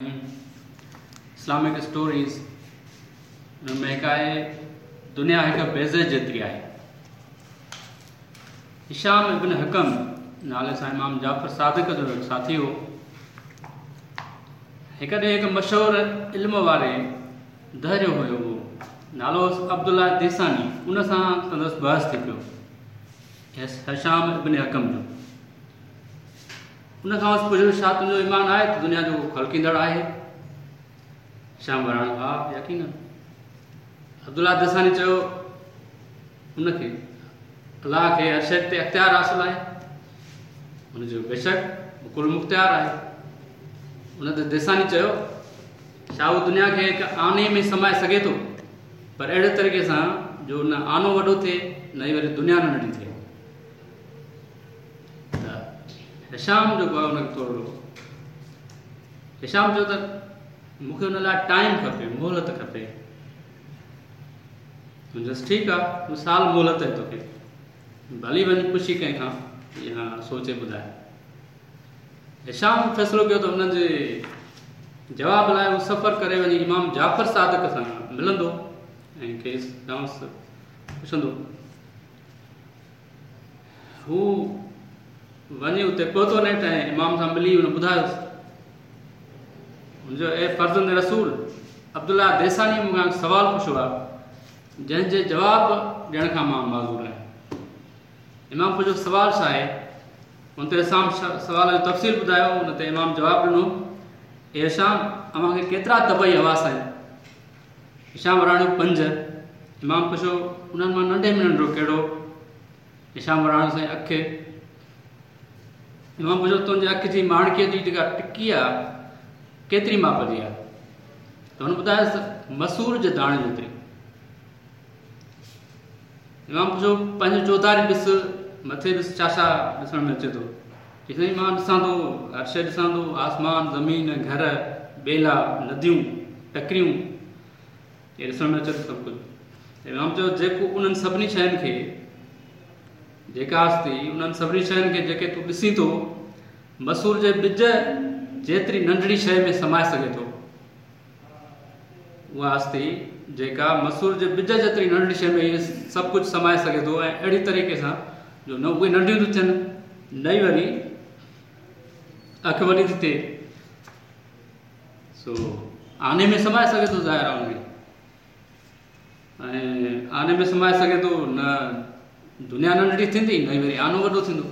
Islamic stories ان ۾ هڪ آهي دنيا هڪ بيضي جيتري آهي. هشام ابن حڪم نالي سان امام جعفر صادق جو هڪ ساٿي هو. هڪ ڏينهن هڪ مشهور علم واري دهريو هيو هو نالو هوس عبدالله ديساني ان سان سندس بحث ٿي پيو هشام ابن حڪم جو. ان کانئس پڇيو، ڇا تنهنجو ايمان آهي ته دنيا جو ڪو خلقيندڙ آهي؟ هشام وراڻيو، ها، يقيناً. عبدالله دساني چيو، ان کي، الله کي، هر شيء تي اختيار حاصل آهي؟ هن چيو، بيشڪ، هو ڪل مختيار آهي. ان تي ديساني چيو، ڇا هو دنيا کي هڪ آني ۾ سمائي سگهي ٿو، پر اهڙي طريقي سان جو نه آنو وڏو ٿئي نه ئي وري دنيا ننڍي ٿئي؟ ته هشام جيڪو آهي ان کي ٿورڙو هشام چيو ته مون کي ان لاء ٽائيم کپي، مهلت کپي. هن چيس ٺيڪ آهي، سال مهلت آهي توکي، ڀلي وڃ پڇي ڪنهن کان يا سوچي ٻڌاء. هشام فيصلو ڪيو ته انهن جي جواب لاء هو سفر ڪري وڃي امام جعفر صادق سان ملندو ۽ کيس کانئس پڇندو. هو وڃي اتي پهتو نيٺ ۽ امام سان ملي هن ٻڌايس. هن چيو، اي فرزند رسول! عبدالله ديسانيء مون کان هڪ سوال پڇيو آهي، جنهن جي جواب ڏيڻ کان مان معذور آهيان. امام پڇيو، سوال ڇا آهي؟ ان تي هشام سوال جو تفصيل ٻڌايو. ان تي امام جواب ڏنو، اي هشام! اوهان کي ڪيترا طبعي حواس آهن؟ هشام وراڻيو، پنج. امام پڇيو، انهن مان ننڍي ۾ ننڍڙو ڪهڙو؟ هشام وراڻيو، سائين اک. امام پڇيو، تنهنجي اک جي ماڻڪي جي جيڪا ٽڪي آ، ڪيتري ماپ جي آ؟ ته هن ٻڌايس، مسور جي داڻي جيتري. امام پڇيو، پنهنجي چوڌاري ڏس، مٿي ڏس، ڇا ڇا ڏسڻ ۾ اچي ٿو؟ چي سائين مان ڏسان ٿو، هر شيء ڏسان ٿو، آسمان، زمين، گهر، ٻيلا، نديون، ٽڪريون، اهي ڏسڻ ۾ اچي ٿو سڀ ڪجهه. امام چيو، جيڪو انهن سڀني شين کي، جيڪا هستي انهن سڀني شين کي جيڪي تون ڏسين ٿو، مسور جي ٻج جيتري ننڍڙي شيء ۾ سمائي سگهي ٿو، اها هستي جيڪا مسور جي ٻج جيتري ننڍڙي شيء ۾ اهي سڀ ڪجهه سمائي سگهي ٿو ۽ اهڙي طريقي سان جو نه اهي ننڍيون ٿيون ٿين نه ئي وري اک وڏي ٿي ٿئي، سو آني ۾ سمائي سگهي ٿو، ظاهر آهي ان کي ۽ آني ۾ سمائي سگهي ٿو، نه دنيا ننڍڙي ٿيندي نه ئي وري آنو وڏو ٿيندو.